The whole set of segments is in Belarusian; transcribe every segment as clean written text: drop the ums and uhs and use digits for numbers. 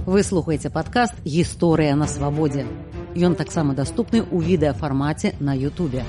Вы слухаеце падкаст «Гісторыя на свабодзе». Ён таксама даступны ў відэафармаце на Ютубе.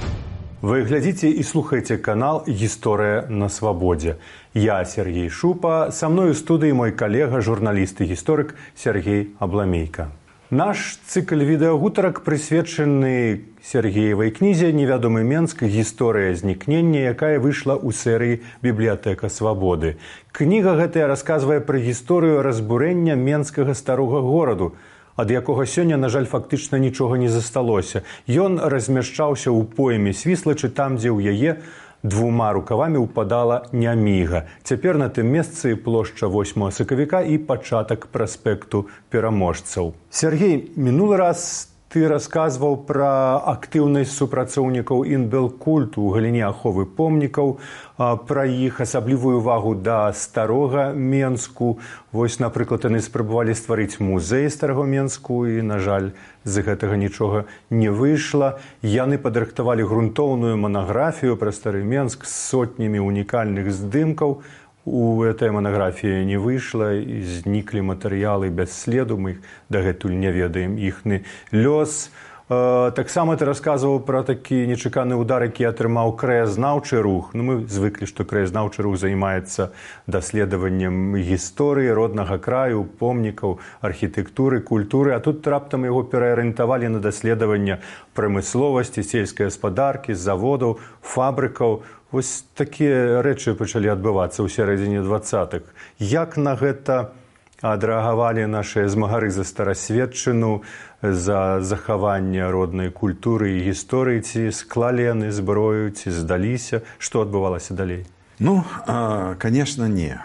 Вы глядзіце і слухаеце канал «Гісторыя на свабодзе». Я Сергей Шупа, са мной у студыі мой калега, журналіст і гісторык Сергей Абламейка. Наш цыкл відэагутарак прысвечаны Сергеевай кнізе «Невядомы Менск. Гісторыя знікнення», якая выйшла ў серыі «Бібліятэка свабоды». Кніга гэтая расказвае пра гісторыю разбурэння менскага старога гораду, ад якога сёння, на жаль, фактычна нічога не засталося. Ён размяшчаўся ў пойме Свіслачы, там, дзе ў яе двума рукавамі ўпадала Няміга. Цяпер на тым месцы плошча 8 сакавіка і пачатак праспекту пераможцаў. Сергей, мінулы раз ты расказваў пра актыўнасць супрацоўнікаў Інбелкульту ў галіне аховы помнікаў, пра іх асаблівую увагу да старога Менску. Вось, напрыклад, яны спрабавалі стварыць музей старого Менску і, на жаль, з гэтага нічога не выйшла. Яны падрыхтавалі грунтоўную манаграфію пра стары Менск з сотнямі унікальных здымкаў. У этой манаграфіі не выйшла, і зніклі матэрыялы без следу, мы дагэтуль не ведаем іхны лёс. Таксама ты расказваў пра такі нечаканы ўдар, які атрымаў краязнаўчы рух. Мы звыклі, што краязнаўчы рух займаецца даследаваннем гісторыі роднага краю, помнікаў, архітэктуры, культуры, а тут раптам яго пераарыентавалі на даследаванне прамысловасці, сельскай гаспадаркі, заводаў, фабрыкаў. Вось такія рэчы пачалі адбывацца ў сярэдзіне 20-х. Як на гэта адрэагавалі нашыя змагары за старасветчыну, за захаванне роднай культуры і гісторыі? Ці склалі яны зброю, ці здаліся? Што адбывалася далей? Конечно, не.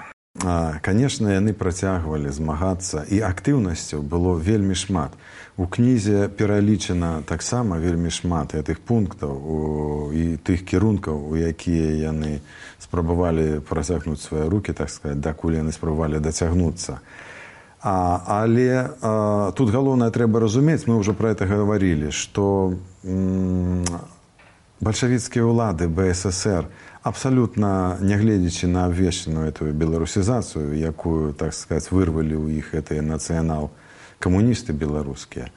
Конечно, яны працягвалі змагацца, і актыўнасцяў было вельмі шмат. У кнізе пералічана таксама вельмі шмат гэтых пунктаў і тых кірункаў, у якія яны спрабавалі працягнуць свае рукі, так сказаць, дакуль яны спрабавалі дацягнуцца. Але тут галоўнае трэба разумець, мы ўжо пра гэта гаварылі, што бальшавіцкія ўлады БССР, абсалютна нягледзячы на абвешчаную эту беларусізацыю, якую, так сказаць, вырвалі ў іх гэтыя нацыянал-камуністы беларускія.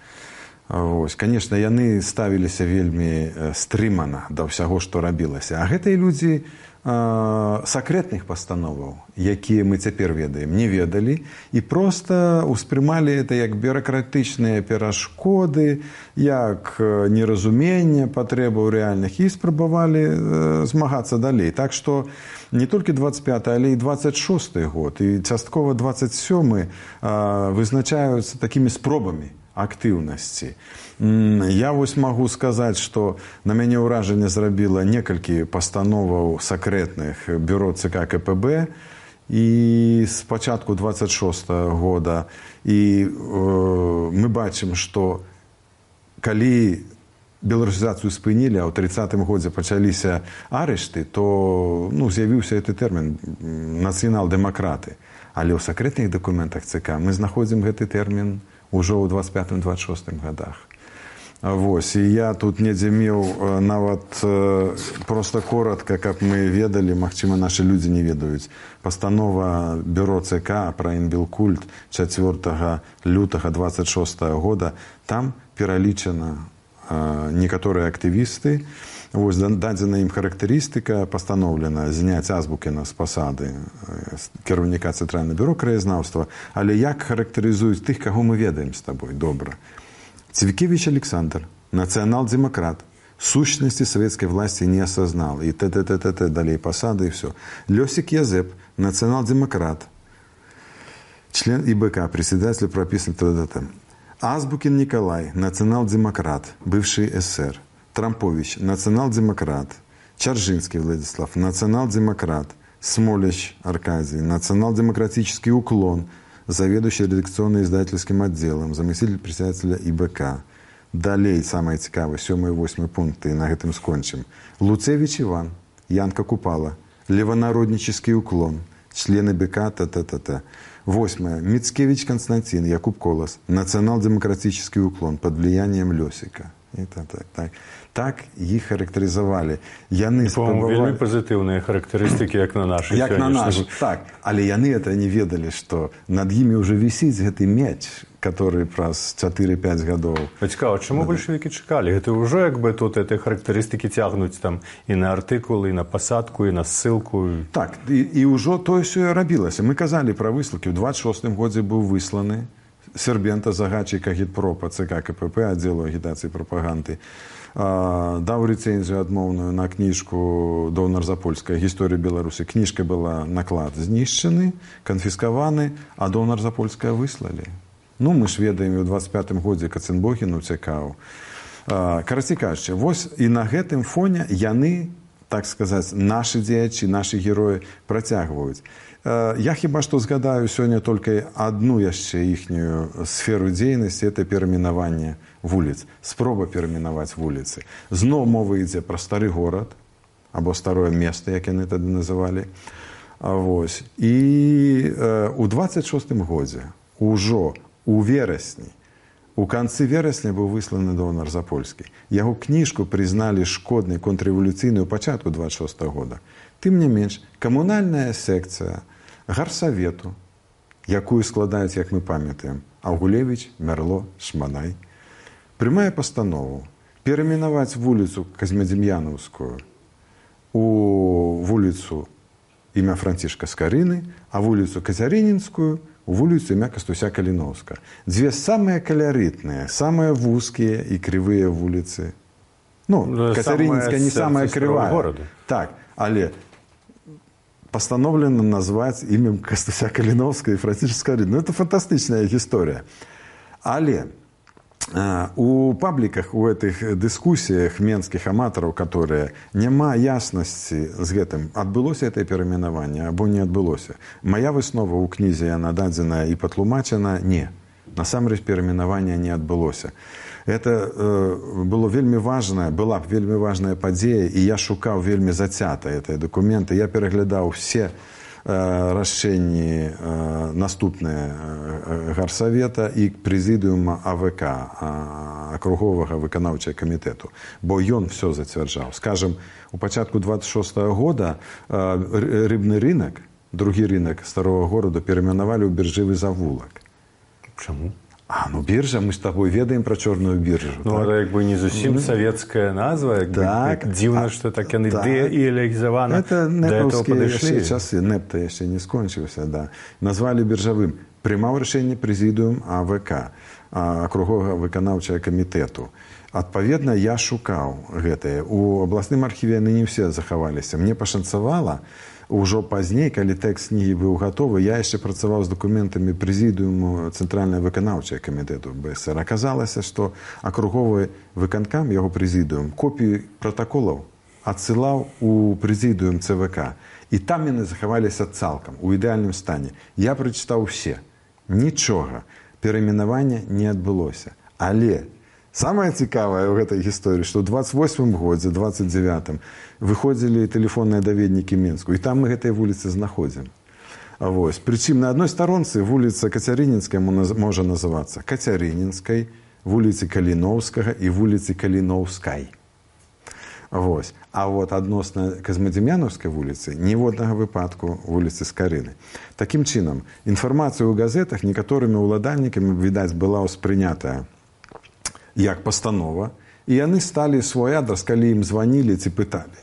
Вось, конечно, яны ставіліся вельмі стрымана да ўсяго, што рабілася. А гэтыя людзі сакрэтных пастановаў, якія мы цяпер ведаем, не ведалі і проста ўспрымалі это як бюракратычныя перашкоды, як неразуменне патрэбаў рэальных, і спрабавалі змагацца далей. Так што не толькі 25-й, але і 26-й год, і часткова 27-й вызначаюцца такімі спробамі актыўнасці. Я вось магу сказаць, што на мяне ўражанне зрабіла некалькі пастановаў сакрэтных бюро ЦК КПБ і з пачатку 26-го года. І мы бачым, што калі беларусізацыю спынілі, а ў 30-м годзе пачаліся арышты, то з'явіўся гэты тэрмін «нацыянал-дэмакраты». Але ў сакрэтных дакументах ЦК мы знаходзім гэты тэрмін ужо ў 25-26 годах. Вось, і я тут недзе меў нават проста коротка, каб мы ведалі, магчыма, нашы людзі не ведаюць. Пастанова бюро ЦК пра Інбелкульт 4 лютага 26 года, там пералічана некаторыя актывісты. Вось, дадзена ім характарыстыка, пастаноўлена зняць Азбукіна з пасады кіраўніка Цэнтральнага бюро краязнаўства. Але як характарызуюць тых, каго мы ведаем з табой добра? Цвікевич Александр, национал-демократ, сущности советской власти не осознал. И далее посады, и все. Лёсик Язеп, национал-демократ, член ИБК, председатель прописан Азбукин Николай, национал-демократ, бывший СССР. Трампович, национал-демократ. Чаржинский Владислав, национал-демократ. Смолич Аркадий, национал-демократический уклон, заведующий редакционно-издательским отделом, заместитель председателя ИБК. Далей, самое цікаве, 7 и 8 пункты, и на гэтым скончим. Луцевич Иван, Янка Купала, левонароднический уклон, член ИБК, 8. Мицкевич Константин, Якуб Колос, национал-демократический уклон под влиянием Лёсика. І так їх характеризували. Яны спрабавалі... Вельмі пазітыўныя характарыстыкі, як на нашы. Як на нашы, так. Але яны это не ведалі, што над імі ўжо вісіць гэты мяч, который праз 4-5 гадоў. Цікава, чаму бальшавікі чакалі? Гэта ўжо як бы тут гэтыя характарыстыкі цягнуць там і на артыкул, і на пасадку, і на ссылку. Так, і ўжо тое сё рабілася. Мы казалі пра выслукі. У 26-м годзе быў высланы Сербента, загадчык агітпропа ЦК КПП, аддзелу агітацыі і прапаганды, даў рэцэнзію адмоўную на кніжку Донар-Запольская «Гісторыя Беларусі». Кніжка была, наклад знішчаны, канфіскаваны, а Донар-Запольская выслалі. Ну, мы ж ведаем, у 25-м годзе Каценбогін уцякаў. Карацей кажучы, вось і на гэтым фоне яны, так сказаць, нашы дзеячы, нашы героі працягваюць. Я хіба што згадаю сёння толькі адну яшчэ іхнюю сферу дзейнасці, это перайменаванне вуліц, спроба перайменаваць вуліцы. Зноў мова ідзе пра стары горад, або старое место, як яны тады называлі. Вось. І у 26-м годзе, ужо у верасні, у канцы верасня быў высланы Донар-Запольскі. Яго кніжку прызналі шкоднай, контррэвалюцыйнай у пачатку 26-го года. Тым не менш, камунальная секцыя гарсавету, якую складаюць, як мы памятаем, Аўгулевіч, Мярло, Шманай, прымае пастанову перайменаваць вуліцу Казьмадзім'янаўскую у вуліцу імя Францішка Скарыны, а вуліцу Казярынінскую у вуліцу імя Кастуся Каліноўска. Дзве самыя калярытныя, самыя вузкія і крывыя вуліцы. Ну, Казярынінская не самая крывая. Так, але постановлено назваць імем Кастуся Каліноўска і Францішка Скарыны. Ну, это фантастычная гісторыя. Але у пабліках, у гэтых дыскусіях менскіх аматараў, которые няма яснасці з гэтым, адбылося гэтае перайменаванне або не адбылося. Мая выснова ў кнізе, яна дадзеная і патлумачана, не. Насамрэч перайменавання не адбылося. Это было вельмі важная, была вельмі важная падзея, і я шукаў вельмі зацята гэтыя дакументы. Я пераглядаў все рашэнні наступныя гарсавета і прэзідыума АВК, акруговага выканаўчага камітэту, бо ён все зацвярджаў. Скажем, у пачатку 26-го года рыбны рынок, другі рынок старого города, перайменавалі ў біржавы завулак. Чаму? Ну биржа, мы с тобой ведаем про черную биржу. Ну, так? Это как бы не совсем советская назва, так, дивно, что так они деализованы. Это нептовские часы, непта еще не скончился, да. Назвали биржавым. Приймав рішення президіум АВК, акруговага выканаўчага камітэту. Адпаведна, я шукаў гэтае. У абласным архіве яны не все захаваліся. Мне пашанцавала, ужо пазней, калі тэкст кнігі быў гатовы, я яшчэ працаваў з дакументамі прэзідыуму Цэнтральнага выканаўчага камітэту БСР. Аказалася, што акруговы выканкам, яго прэзідыум, копіі пратаколаў адсылаў у прэзідыум ЦВК. І там яны захаваліся цалкам, у ідэальным стане. Я прачытаў усе. Нічога. Перайменавання не адбылося. Але самае цікавае ў гэтай гісторыі, што ў 28-м годзе, 29-м, выходзілі тэлефонныя даведнікі Мінску, і там мы гэтай вуліцы знаходзім. Прычым на адной старонцы вуліца Кацярынінская можа называцца Кацярынінскай, вуліцы Каліноўскага і вуліцы Каліноўскай. А вот адносна Казьмадзім'янаўскай вуліцы ніводнага выпадку вуліцы Скарыны. Такім чынам, інфармацыя ў газетах некаторымі ўладальнікамі, відаць, была ўспрынятая як пастанова, і яны сталі свой адрас, калі ім званілі ці пыталі.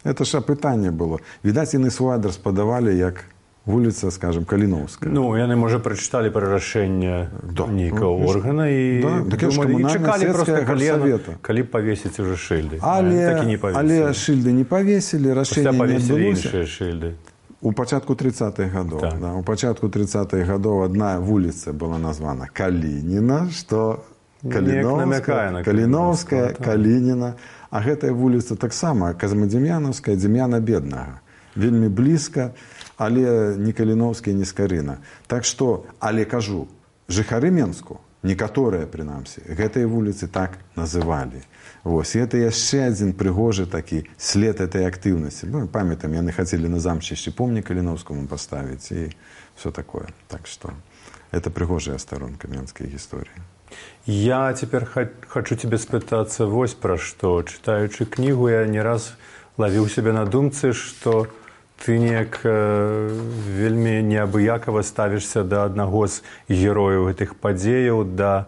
Это ж апытанне было. Відаць, яны свой адрас падавалі як вуліца, скажем, Каліноўская. Ну, яны, можа, прачыталі пра рашэнне нейкага органа і чакалі проста калі павесіць уже шыльды. Але шыльды не павесілі, рашэнне не адбылося. Іншыя шыльды. У пачатку 30-х гадоў. У пачатку 30-х гадоў адна вуліца была названа Калініна, што Каліноўская, Калініна. А гэтая вуліца таксама Казьмадзім'янаўская, Дзім'яна Беднага. Вельмі блізка, але не Каліноўская, не Скарына. Так што, але кажу, жыхары Менску, некаторыя, прынамсі, гэтыя вуліцы так называлі. І гэта яшчэ адзін прыгожы такі след этой актыўнасці. Мы памятаем, яны хацелі на замчышчы помнік Каліноўскаму паставіць і все такое. Так што, это прыгожая старонка менскай гісторыі. Я теперь хочу тебе спытаться вось про что. Читаючи книгу, я не раз ловил себя на думцы, что ты неяк вельмі неабыякава ставішся да аднаго з герояў гэтых падзеяў, да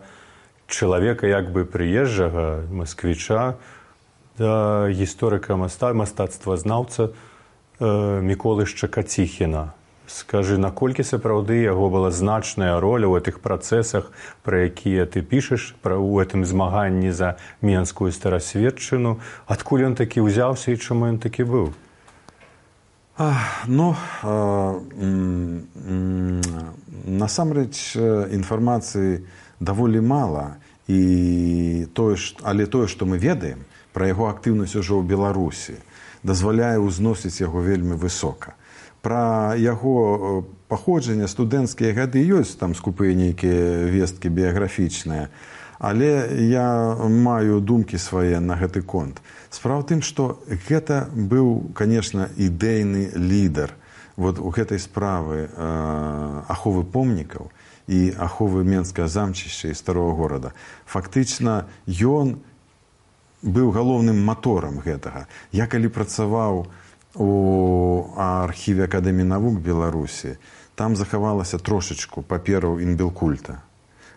чалавека як бы прыезджага, масквіча, да гісторыка мастацтвазнаўца Міколы Шчакаціхіна. Скажы, наколькі сапраўды яго была значная роля ў гэтых працэсах, пра якія ты пішаш, у гэтым змаганні за менскую старасветчыну? Адкуль ён такі ўзяўся і чаму ён такі быў? Насамрэч інфармацыі даволі мала, але тое, што мы ведаем пра яго актыўнасць ужо ў Беларусі, дазваляе ўзносіць яго вельмі высока. Пра яго паходжанне, студэнцкія гады ёсць там скупыя нейкія весткі біяграфічныя, але я маю думкі свае на гэты конт. Справа ў тым, што гэта быў, конечно, ідэйны лідар вот у гэтай справы аховы помнікаў і аховы Менскага замчышча і старого горада. Фактычна, ён быў галоўным маторам гэтага. Я калі працаваў у архіве Акадэміі навук Беларусі, там захавалася трошачку папераў інбелкульта.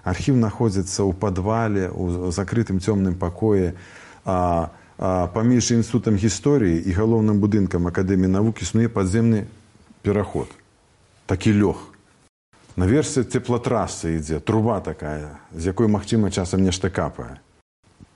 Архіў знаходзіцца ў падвале, у закрытым цёмным пакоі, паміж інстытутам гісторыі і галоўным будынкам Акадэміі навук існуе падземны пераход. Такі лёг. Наверсе цеплатрасса ідзе, труба такая, з якой, магчыма, часам нешта капае.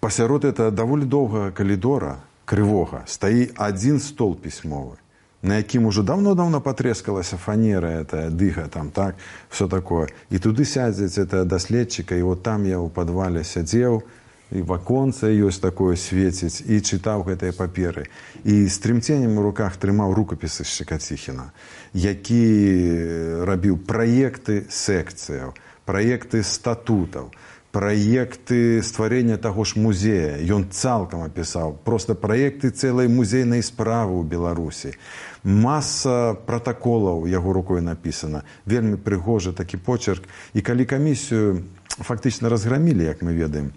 Пасярод этого даволі доўгага калідора, крывога, стаіць адзін стол пісьмовы, на якім ужо давно-давно патрэскалася фанера, дыга, там, так, все такое. І туды сядзець даследчыка, і вот там я ў падвале сядзеў, і ваконца ёсць такое свеціць, і чытаў гэтыя паперы. І з трымценнем у руках трымаў рукапісы Шчакаціхіна, які рабіў праекты секцыяў, праекты статутаў, праекты стварення таго ж музея. Ён цалкам апісаў. Проста праекты цэлай музейнай справы ў Беларусі. Маса пратаколаў яго рукой напісана. Вельмі прыгожы такі почерк. І калі камісію фактычна разграмілі, як мы ведаем,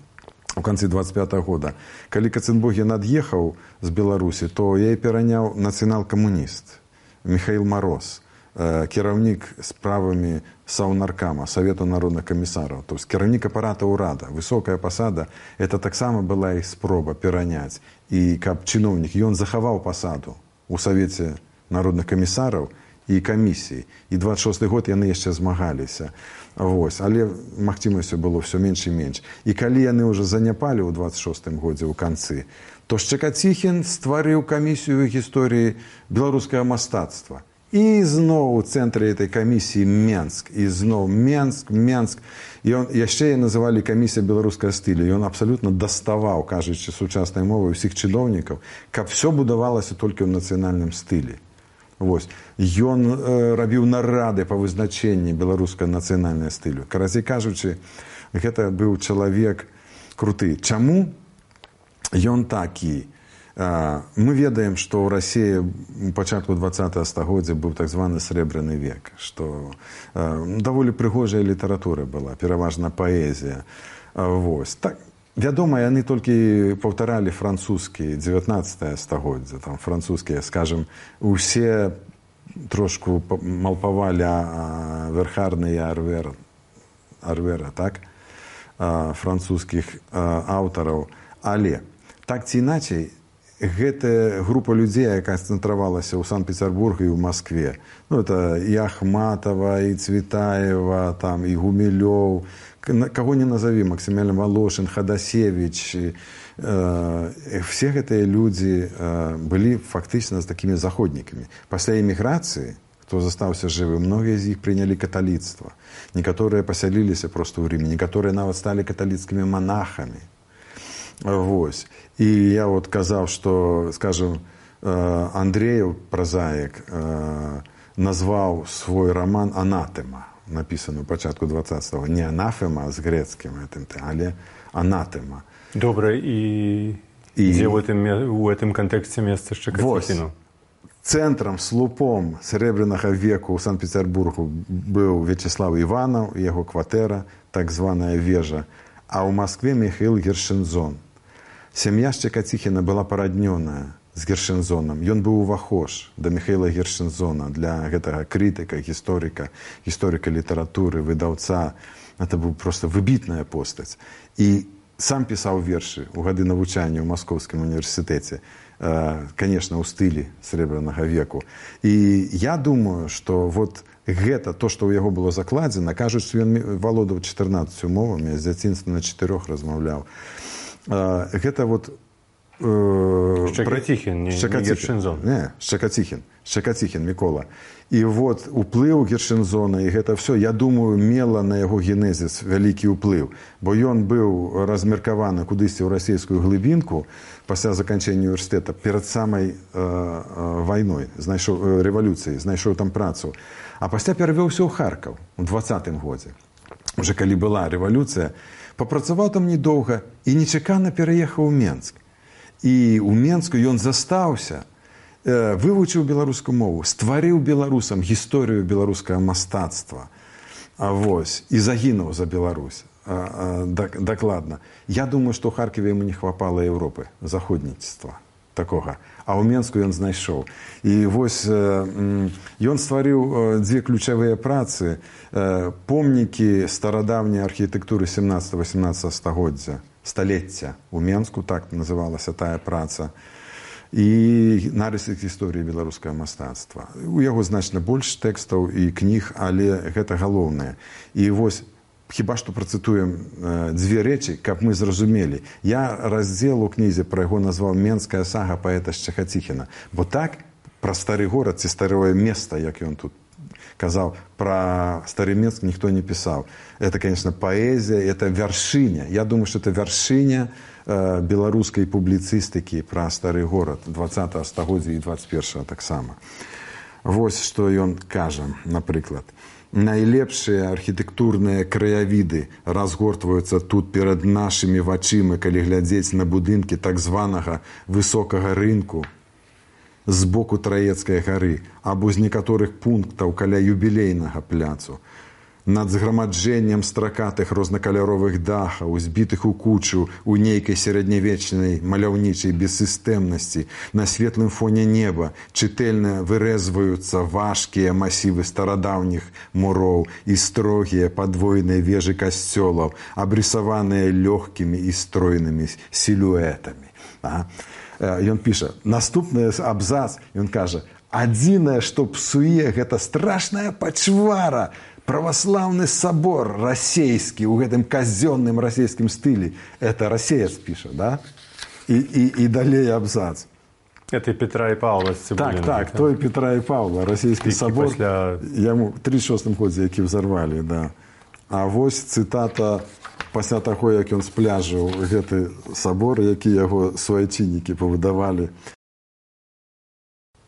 у канцы 25-го года, калі Каценбогін ад'ехаў з Беларусі, то я і пераняў нацыянал-камуніст Михаил Мороз, кіраўнік справамі Саўнаркама, Савету народных камісараў, то есть кіраўнік апарата ўрада, высокая пасада, это таксама была іх спроба пераняць. І каб чыноўнік, ён захаваў пасаду у Савеце народных камісараў і камісіі. І 26-й год яны яшчэ змагаліся. Вось. Але магчымасцю было ўсё менш і менш. І калі яны ўжо заняпалі ў 26-м годзе ў канцы, то Шчакаціхін стварыў камісію гісторыі беларускага мастацтва. І зноў у цэнтры этой камісіі Менск. І зноў Менск. І яшчэ называлі камісія беларускага стылю. Ён абсалютна даставаў, кажучы сучаснай мовай, усіх чыноўнікаў, каб все будавалася толькі ў нацыянальным стылі. Вось. Ён рабіў нарады па вызначэнні беларускага нацыянальнага стылю. Карацей кажучы, гэта быў чалавек круты. Чаму ён такі? Мы ведаем, што ў Расіі у пачатку 20-го стагоддзя быў так званы срэбраны век, што даволі прыгожая літаратура была, пераважна паэзія. Вось. Так, вядома, яны толькі паўтаралі французскі 19-е стагоддзя, там французскія, скажем, усе трошку малпавалі верхарныя арвера, так, французскіх аўтараў, але так ці іначай, гэта група людзей, якая сканцэнтравалася ў Санкт-Петербурге і ў Маскве. Ну, это і Ахматова, і Цветаева, там, і Гумилёв, каго не назові, Максимilian Волошин, Ходасевич. Все гэтыя людзі былі фактычна з такімі заходнікамі. Пасля эміграцыі, хто застаўся жывы, многія з іх прынялі каталіцтва. Некаторыя пасяліліся проста ў Рыме, некаторыя нават сталі каталіцкімі монахамі. Вось. І я вот казаў, што, скажем, Андреев, празаік, назваў свой роман «Анатема», напісаны ў пачатку 20-го. Не «анафема» з грэцкім, але «анатема». Добра, і дзе ў гэтым кантэксце месца Шчакаціхіну? Цэнтрам, слупом срэбранага веку ў Санкт-Петербургу быў Вячеслав Іванаў, яго кватэра, так званая вежа. а ў Маскве Михаил Гершензон. Сям'я Шчекаціхіна была параднёная з Гершензонам. Ён быў увахож да Михаила Гершензона, для гэтага крытыка, гісторыка літаратуры, выдаўца. Это быў проста выбітная постаць. І сам пісаў вершы ў гады навучання ў Маскоўскім універсітэце, конечно, ў стылі срэбранага веку. І я думаю, што вот гэта то, што ў яго было закладзена, кажуць, што ён валодаў 14 мовамі, з дзяцінства на 4 размаўляў. Гэта вот Шчекаціхін, не Гершензон. Не, Шчекаціхін Мікола. І вот уплыў Гершензона, і гэта все, я думаю, мела на яго генезіс вялікі ўплыў. Бо ён быў размеркаваны кудысьці ў расійскую глыбінку пасля заканчэння універсітэта, перад самай вайной, рэвалюцыяй, знайшоў там працу. А пасля перавёўся ў Харкаў у 20-м годзе. Уже калі была рэвалюцыя, папрацаваў там недоўга і нечакана пераехаў у Менск. І ў Менску ён застаўся, вывучыў беларускую мову, стварыў беларусам гісторыю беларускага мастацтва. Вось, і загінуў за Беларусь. Дакладна. Я думаю, што ў Харківе яму не хапала Еўропы, заходніцтва такога. А ў Менску ён знайшоў. І вось ён стварыў дзве ключавыя працы, помнікі старадаўняй архітэктуры 17-18 стагоддзя, у Менску, так называлася тая праца, і нарысы гісторыі беларускага мастацтва. У яго значна больш тэкстаў і кніг, але гэта галоўнае. І вось, хіба што працытуем дзве рэчы, каб мы зразумелі. Я раздзел у кнізе пра яго назваў «Менская сага паэта Шчекаціхіна». Бо так пра стары горад ці старое место, як ён тут казаў, пра стары Менск ніхто не пісаў. Это, конечно, паэзія, это вяршыня. Я думаю, что это вяршыня беларускай публіцыстыкі пра стары горад 20-го стагоддзя і 21-го таксама. Вось што ён кажа, напрыклад. Найлепшыя архітэктурныя краявіды разгортваюцца тут перад нашымі вачыма, калі глядзець на будынкі так званага высокага рынку з боку Траецкай гары або з некаторых пунктаў каля юбілейнага пляцу. Над зграмаджэннем стракатых рознакаляровых дахаў, збітых у кучу у нейкай сярэднявечнай маляўнічай бессістэмнасці, на светлым фоне неба чытэльна вырэзваюцца важкія масівы старадаўніх муроў і строгія падвойныя вежы касцёлаў, абрысаваныя лёгкімі і стройнымі сілуэтамі. Ён піша, наступны абзац, ён кажа, адзінае, што псуе, гэта страшная пачвара, праваслаўны сабор расейскі ў гэтым казённым расійскім стылі. Это расеец піша, да? І далей абзац. Это Петра і Павла з Цыбуліным. Так, той Петра і Павла, расійскі сабор. Яму ў 36-м годзе, які взорвалі, да. А вось цытата пасля таго, як ён спляжыў гэты сабор, які яго суайчыннікі павыдавалі.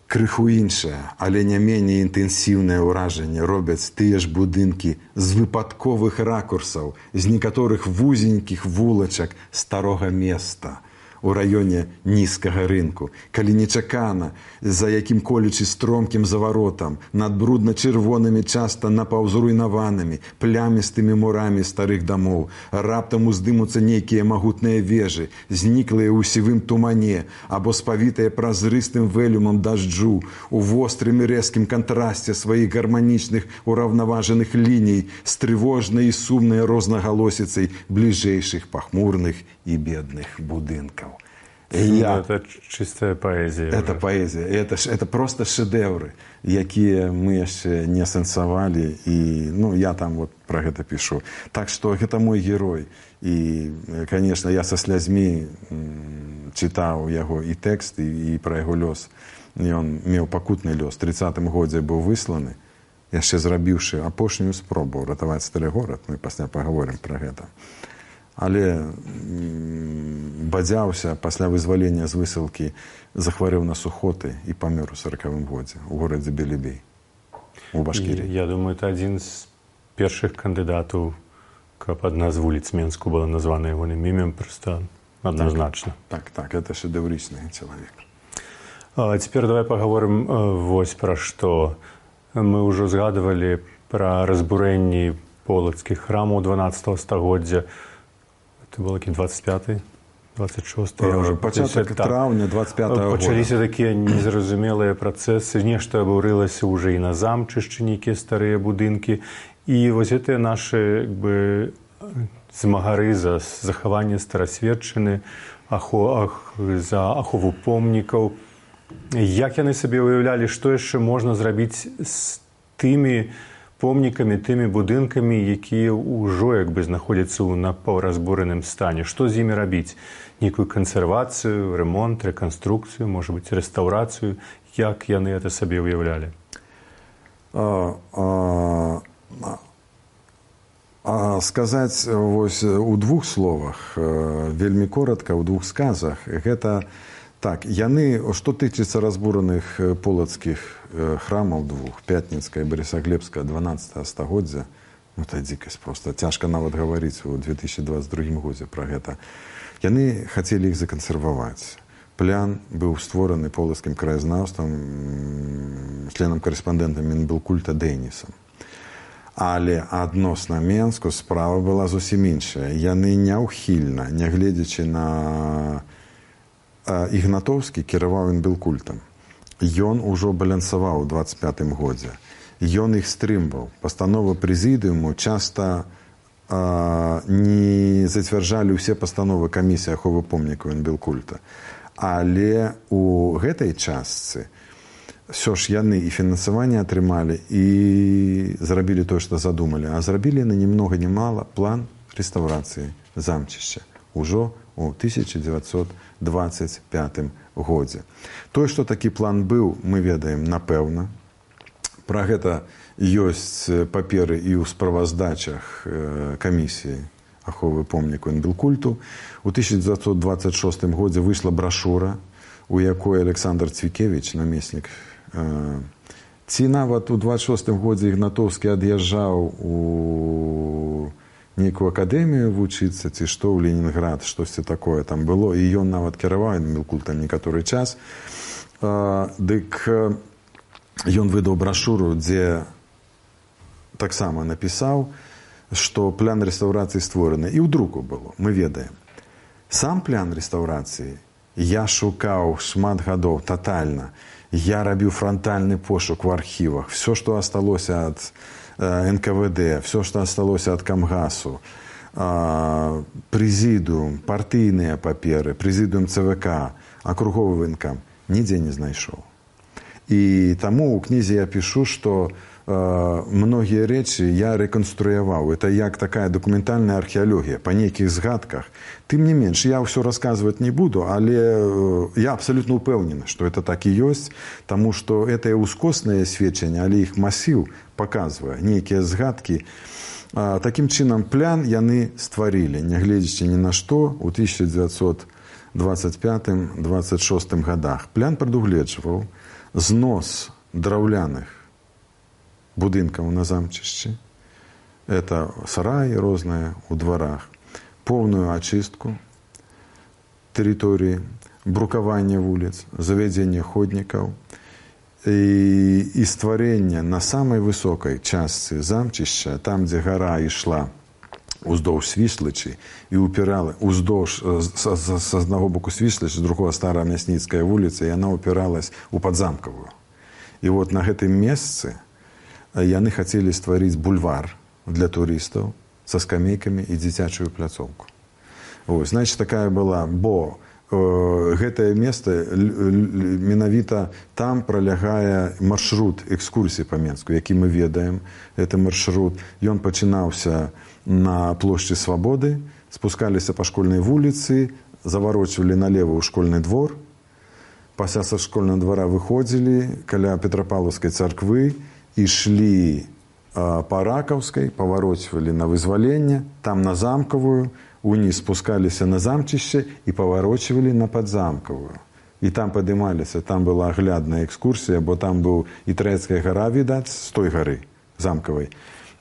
Крыху іншае, але не меней інтэнсіўнае ўражанне робяць тыя ж будынкі з выпадковых ракурсаў, з некаторых вузенькіх вулачак старога места у раёне нізкага рынку, калі нечакана, за якім-колечы стромкім заваротам, над брудна-чырвонымі, часта напаўзруйнаванымі, плямістымі мурамі старых дамоў, раптам уздымуцца нейкія магутныя вежы, зніклыя ў сівым тумане, або спавітыя празрыстым вэлюмам дажджу, у вострым і рэзкім кантрасце сваіх гарманічных ураўнаважаных ліній з трывожнай і сумнай рознагалосіцай бліжэйшых пахмурных і бедных будынкаў. Это чистая поэзия. Это поэзия. Это просто шэдэўры, якія мы яшчэ не асэнсавалі. І я там вот про гэта пішу. Так што гэта мой герой. І, конечно, я са слязьмі чытаў яго і тэкст, і пра яго лёс. Ён меў пакутны лёс. У 30-м годзе быў высланы, яшчэ зрабіўшы апошнюю спробу ратаваць стары горад. Мы пасля пагаворым пра гэта. Але бадзяўся пасля вызвалення з высылкі, захварэў на сухоты і памёр у 40-м годзе у горадзе Белебей, у Башкіріі. Я думаю, это адзін з першых кандыдатаў, каб адна з вуліц Менску была названа ягоным імем, проста адназначна. Так, это шэдэўрычны чалавек. Цяпер давай пагаворым вось пра што. Мы ўжо згадывалі пра разбурэнні полацкіх храмаў 12 стагоддзя. Это был 25-й, 26-й. Пачатак траўня 25-го года. Пачаліся такія незразумелыя працэсы, нешта абурылася ўжо і на замчышчы, нейкія старыя будынкі. І вось гэтыя нашы змагары за захаванне старасветчыны, за ахову помнікаў. Як яны сабе уяўлялі, што яшчэ можна зрабіць з тымі помнікамі, тымі будынкамі, якія ўжо знаходзяцца ў напаўразбураным стане? Што з імі рабіць? Нейкую кансервацыю, ремонт, рэканструкцыю, можа быць, рэстаўрацыю? Як яны гэта сабе уяўлялі? Сказаць вось у двух словах, вельмі коротка, у двух сказах, гэта так, яны, што тычыцца разбураных полацкіх храмаў двух, Пятніцкая і Барысаглебская 12 стагоддзя, это дзікасць проста, цяжка нават гаварыць у 2022 годзе пра гэта. Яны хацелі іх закансерваваць. Плян быў створаны полацкім краязнаўствам, членам-карэспандэнтам Мінбылкульта Дэнісам. Але адносна Менску справа была зусім іншая. Яны няўхільна, нягледзячы на Ігнатоўскі кіраваў Мінбылкультам. Ён ужо балансаваў у 25-м годзе. Ён іх стрымваў. Пастановы прэзідыуму часта не зацвярджалі ўсе пастановы камісіі аховы помнікаў Мінбылкульта. Але у гэтай частцы ўсё ж яны і фінансаванне атрымалі, і зрабілі тое, што задумалі. А зрабілі яны ні многа ні мала план рэстаўрацыі замчышча ўжо у 1925 годзе. Тое, што такі план быў, мы ведаем напэўна. Пра гэта ёсць паперы і ў справаздачах камісіі аховы помнікаў Мінбылкульту. У 1926 годзе выйшла брашура, у якой Александр Цвікевіч, намеснік, ці нават у 26 годзе Ігнатоўскі ад'язджаў у нейкую акадэмію вучыцца, ці што ў Ленінград, штосьці такое там было, і ён нават кіраваў Мінбылкультам некаторы час. Дык ён выдаў брашуру, дзе таксама напісаў, што план рэстаўрацыі створаны. І ў друку было, мы ведаем. Сам план рэстаўрацыі я шукаў шмат гадоў татальна. Я рабіў франтальны пошук у архівах. Все, што асталося ад НКВД, все, што асталося ад Камгасу, прэзідыум, партыйныя паперы, прэзідыум ЦВК, акруговы ваенкам, нідзе не знайшоў. І таму ў кнізе я пішу, што многія рэчы я рэканструяваў. Это як такая дакументальная археалогія па нейкіх згадках. Тым не менш, я ўсё расказваць не буду, але я абсалютна ўпэўнены, што это так і ёсць, таму што это ўскосныя сведчанні, але іх масіў паказвае нейкія згадкі. Такім чынам, план яны стварылі, нягледзячы ні на што, у 1925-26 годах. План прадугледжваў знос драўляных будынкаў на замчышчы, это сараі розныя ў дварах, поўную ачыстку тэрыторыі, брукаванне вуліц, завядзенне ходнікаў і стварэнне на самай высокай частцы замчышча, там, дзе гара ішла уздоўж Свіслачы і упірала уздоўж з аднаго боку Свіслачы, з другого Старая Мясніцкая вуліца, і яна упіралась у Падзамкавую. І вот на гэтым месцы яны хацелі стварыць бульвар для турыстаў са скамейкамі і дзіцячую пляцоўку. Значит, такая была, бо гэтае место менавіта там пролягае маршрут экскурсіі па Менску, які мы ведаем. Это маршрут, ён пачынаўся на плошчы Свабоды, спускаліся па школьнай вуліцы, заварочвалі налево ў школьны двор, пасля са школьнага двара выходзілі каля Петрапаўлаўскай царквы, ішлі па Ракаўскай, паварочвалі на Вызваленне, там на Замкавую, уніз спускаліся на замчышча і паварочвалі на Падзамкавую. І там падымаліся, там была аглядная экскурсія, бо там быў і Трэцкая гара, відаць, з той гары замкавай,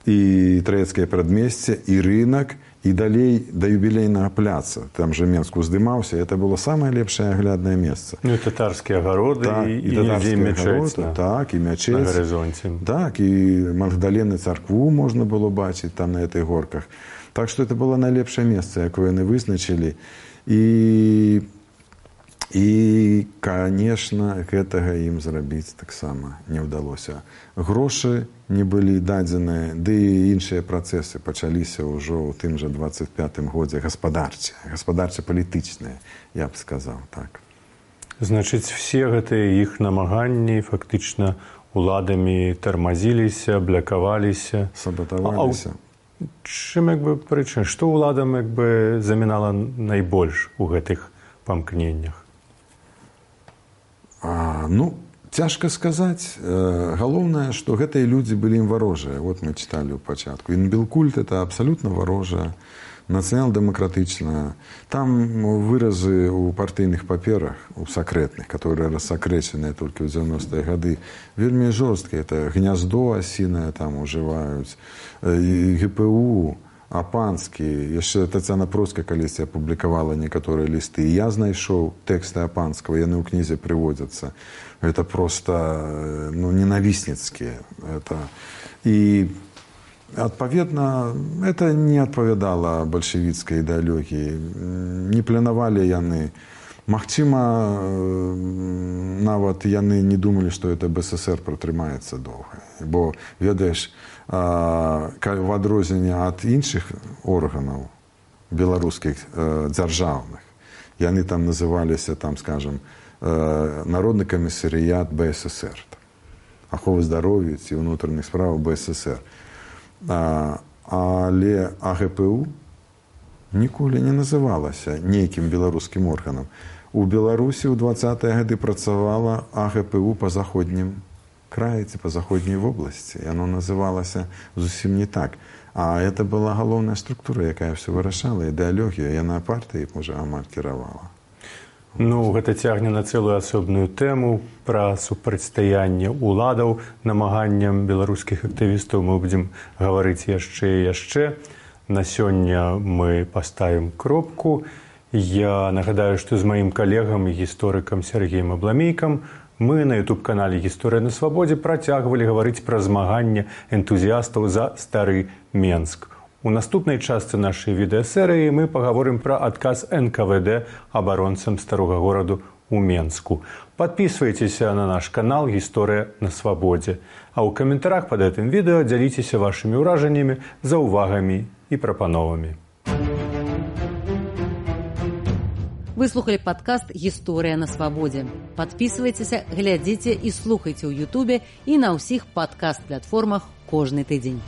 і Трэцкае прадмесце, і рынак, і далей да юбілейнага пляца, там же Менск уздымаўся, это было самае лепшае агляднае месца. Ну і татарскія агароды, так, і мячэць так, і мячэць на гарызонце. Так, і Магдалены царкву можна было бачыць там на этой горках. Так што это было найлепшае месца, якое яны вызначылі. І, конечно, гэтага ім зрабіць таксама не ўдалося. Грошы не былі дадзеныя, ды і іншыя працэсы пачаліся ўжо ў тым жа 25-м годзе гаспадарча-палітычныя, я б сказаў, так. Значыць, все гэтыя іх намаганні фактычна уладамі тармазіліся, блякаваліся. Сабатаваліся. Чым, прычына? Што ўладам, замінала найбольш у гэтых памкненнях? Ну, цяжка сказаць. Галоўнае, што гэтыя людзі былі ім варожыя. Вот мы чыталі ў пачатку. Інбілкульт – это абсалютна варожая, нацыянал-дэмакратычная. Там выразы ў партыйных паперах, у сакрэтных, которые рассакрэчаныя толькі ў 90-е гады, вельмі жорсткія. Это гняздо асінае там ужываюць, ГПУ, Апанскі. Яшчэ Тацяна Процкая калісьці апублікавала некаторыя лісты. І я знайшоў тэксты Апанскага, яны ў кнізе прыводзяцца. Это проста ненавісніцкія. І, адпаведна, это не адпавядала бальшавіцкай ідэалогіі. Не планавалі яны. Магчыма, нават яны не думалі, што это БССР пратрымаецца доўга. Бо, ведаеш, в адрозненне ад іншых органаў беларускіх дзяржаўных, яны там называліся, там, скажем, Народны камісарыят БССР, аховы здароўя ці ўнутраных справаў БССР. Але АГПУ ніколі не называлася нейкім беларускім органам. У Беларусі ў 20-е гады працавала АГПУ па заходнім краі ці па заходняй вобласці. Яно называлася зусім не так. А это была галоўная структура, якая ўсё вырашала, ідэалогія. Яна партыяй, можа, амаль кіравала. Ну, гэта цягне на цэлую асобную тэму пра супрацьстаянне ўладаў намаганням беларускіх актывістаў. Мы будзем гаварыць яшчэ і яшчэ. На сёння мы паставім кропку. Я нагадаю, што з маім калегам і гісторыкам Сергеем Абламейкам мы на YouTube-канале «Гісторыя на свабодзе» працягвалі гаварыць пра змаганне энтузіястаў за стары Менск. У наступнай частцы нашай відэасерыі мы пагаворым пра адказ НКВД абаронцам старога гораду ў Менску. Падпісвайцеся на наш канал «Гісторыя на свабодзе». А ў каментарах пад гэтым відэа дзяліцеся вашымі ўражаннямі, заўвагамі і прапановамі. Вы слухали падкаст «Гісторыя на свабодзе». Падпісвайцеся, глядзіце і слухайце ў Ютубе і на ўсіх падкаст-платформах кожны тыдзень.